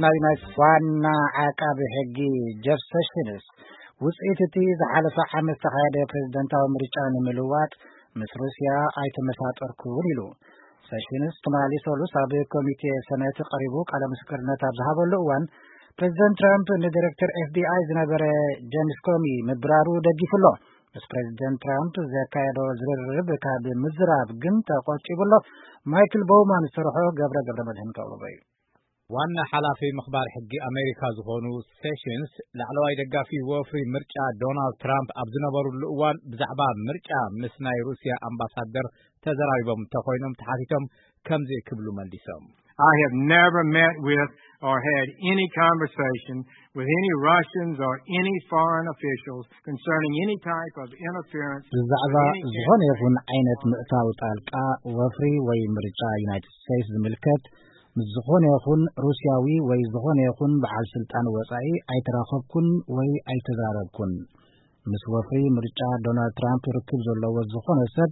ናይ ዩናይትድ ዋና ዓቃቢ ሕጊ ጀፍ ሰሽንስ ውፅኢት እቲ ዝሓለፈ ዓመት ዝተኻየደ ፕሬዝደንታዊ ምርጫ ንምልዋጥ ምስ ሩስያ ኣይተመሳጠርኩን ኢሉ። ሰሽንስ ትማሊ ሰሉስ ኣብ ኮሚቴ ሰነት ቀሪቡ ቃለ ምስክርነት ኣብ ዝሃበሉ እዋን ፕሬዝደንት ትራምፕ ንዲሬክተር ኤፍቢኣይ ዝነበረ ጀምስ ኮሚ ምብራሩ ደጊፉ ኣሎ። ምስ ፕሬዝደንት ትራምፕ ዘካየዶ ዝርርብ ካብ ምዝራብ ግን ተቆጢቡ ኣሎ። ማይክል ቦውማን ዝሰርሖ ገብረ ገብረ መድህን ከቕርቦ እዩ። ዋና ሓላፊ ምኽባር ሕጊ ኣሜሪካ ዝኾኑ ሴሽንስ ላዕለዋይ ደጋፊ ወፍሪ ምርጫ ዶናልድ ትራምፕ ኣብ ዝነበሩሉ እዋን ብዛዕባ ምርጫ ምስ ናይ ሩስያ ኣምባሳደር ተዘራሪቦም እንተኾይኖም ተሓቲቶም ከምዚ ክብሉ መሊሶም። I have never met with or had any conversation with any Russians or any foreign officials concerning any type of interference ብዛዕባ ዝኾነ ይኹን ዓይነት ምእታው ጣልቃ ወፍሪ ወይ ምርጫ ዩናይትድ ስቴትስ ዝምልከት ምስ ዝኾነ ይኹን ሩስያዊ ወይ ዝኾነ ይኹን በዓል ስልጣን ወጻኢ ኣይተራኸብኩን ወይ ኣይተዛረብኩን። ምስ ወፍሪ ምርጫ ዶናልድ ትራምፕ ርክብ ዘለዎ ዝኾነ ሰብ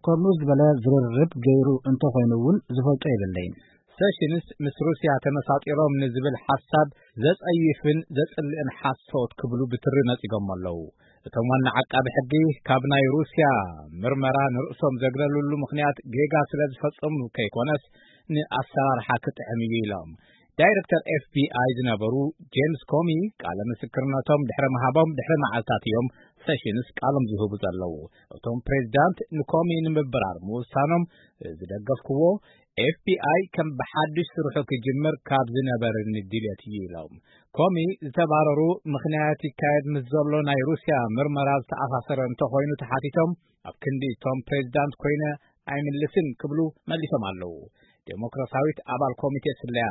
ከምኡ ዝበለ ዝርርብ ገይሩ እንተኾይኑ እውን ዝፈልጦ የብለይን። ሰሽንስ ምስ ሩስያ ተመሳጢሮም ንዝብል ሓሳብ ዘጸይፍን ዘጽልእን ሓሶት ክብሉ ብትሪ ነጺጎም ኣለዉ። እቶም ዋና ዓቃቢ ሕጊ ካብ ናይ ሩስያ ምርመራ ንርእሶም ዘግለሉሉ ምኽንያት ጌጋ ስለ ዝፈጸሙ ከይኮነስ ንኣሰራርሓ ክጥዕም እዩ ኢሎም። ዳይሬክተር ኤፍቢኣይ ዝነበሩ ጄምስ ኮሚ ቃለ ምስክርነቶም ድሕሪ ምሃቦም ድሕሪ መዓልታት እዮም ሰሽንስ ቃሎም ዝህቡ ዘለዉ። እቶም ፕሬዝዳንት ንኮሚ ንምብራር ምውሳኖም ዝደገፍክዎ ኤፍቢኣይ ከም ብሓድሽ ስርሑ ክጅምር ካብ ዝነበረኒ ድልየት እዩ ኢሎም። ኮሚ ዝተባረሩ ምኽንያት ይካየድ ምስ ዘሎ ናይ ሩስያ ምርመራ ዝተኣሳሰረ እንተኾይኑ ተሓቲቶም ኣብ ክንዲ እቶም ፕሬዝዳንት ኮይነ ኣይምልስን ክብሉ መሊሶም ኣለዉ። ዴሞክራሲያዊት ኣባል ኮሚቴ ስለያ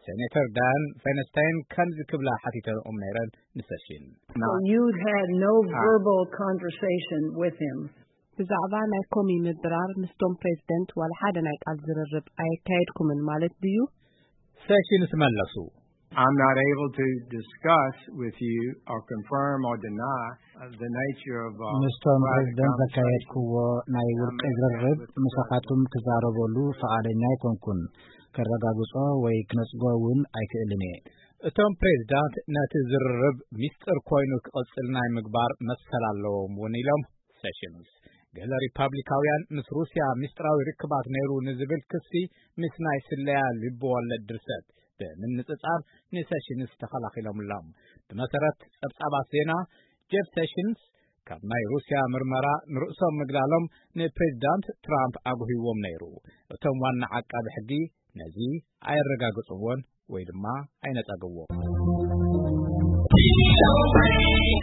ሴኔተር ዳያን ፌነስታይን ከምዚ ክብላ ሓቲተኦም ነይረን ንሰሽን። So you had no verbal conversation with him? ብዛዕባ ናይ ኮሚ ምብራር ምስቶም ፕሬዝደንት ዋላ ሓደ ናይ ቃል ዝርርብ ኣየካየድኩምን ማለት ድዩ? ሰሽንስ መለሱ። I'm not able to discuss with you or confirm or deny uh, the nature of uh, ምስቶም private ፕሬዝደንት conversation. ዘካየድክዎ ናይ ውልቂ ዝርርብ ምሳኻትኩም ክዛረበሉ ፈቓደኛ ኣይኮንኩን። ከረጋግጾ ወይ ክነጽጎ እውን ኣይክእልን እየ። እቶም ፕሬዝዳንት ነቲ ዝርርብ ሚስጥር ኮይኑ ክቕጽል ናይ ምግባር መሰል ኣለዎም እውን ኢሎም ሰሽንስ። ገለ ሪፓብሊካውያን ምስ ሩስያ ሚስጥራዊ ርክባት ነይሩ ንዝብል ክሲ ምስ ናይ ስለያ ልቢ ወለድ ድርሰት ብምንጽጻር ንሰሽንስ ተኸላኺሎምሎም። ብመሰረት ጸብጻባት ዜና ጀፍ ሰሽንስ ካብ ናይ ሩስያ ምርመራ ንርእሶም ምግላሎም ንፕሬዝዳንት ትራምፕ ኣጉሂዎም ነይሩ። እቶም ዋና ዓቃቢ ሕጊ ነዚ ኣየረጋገጽዎን ወይ ድማ ኣይነጸግዎን።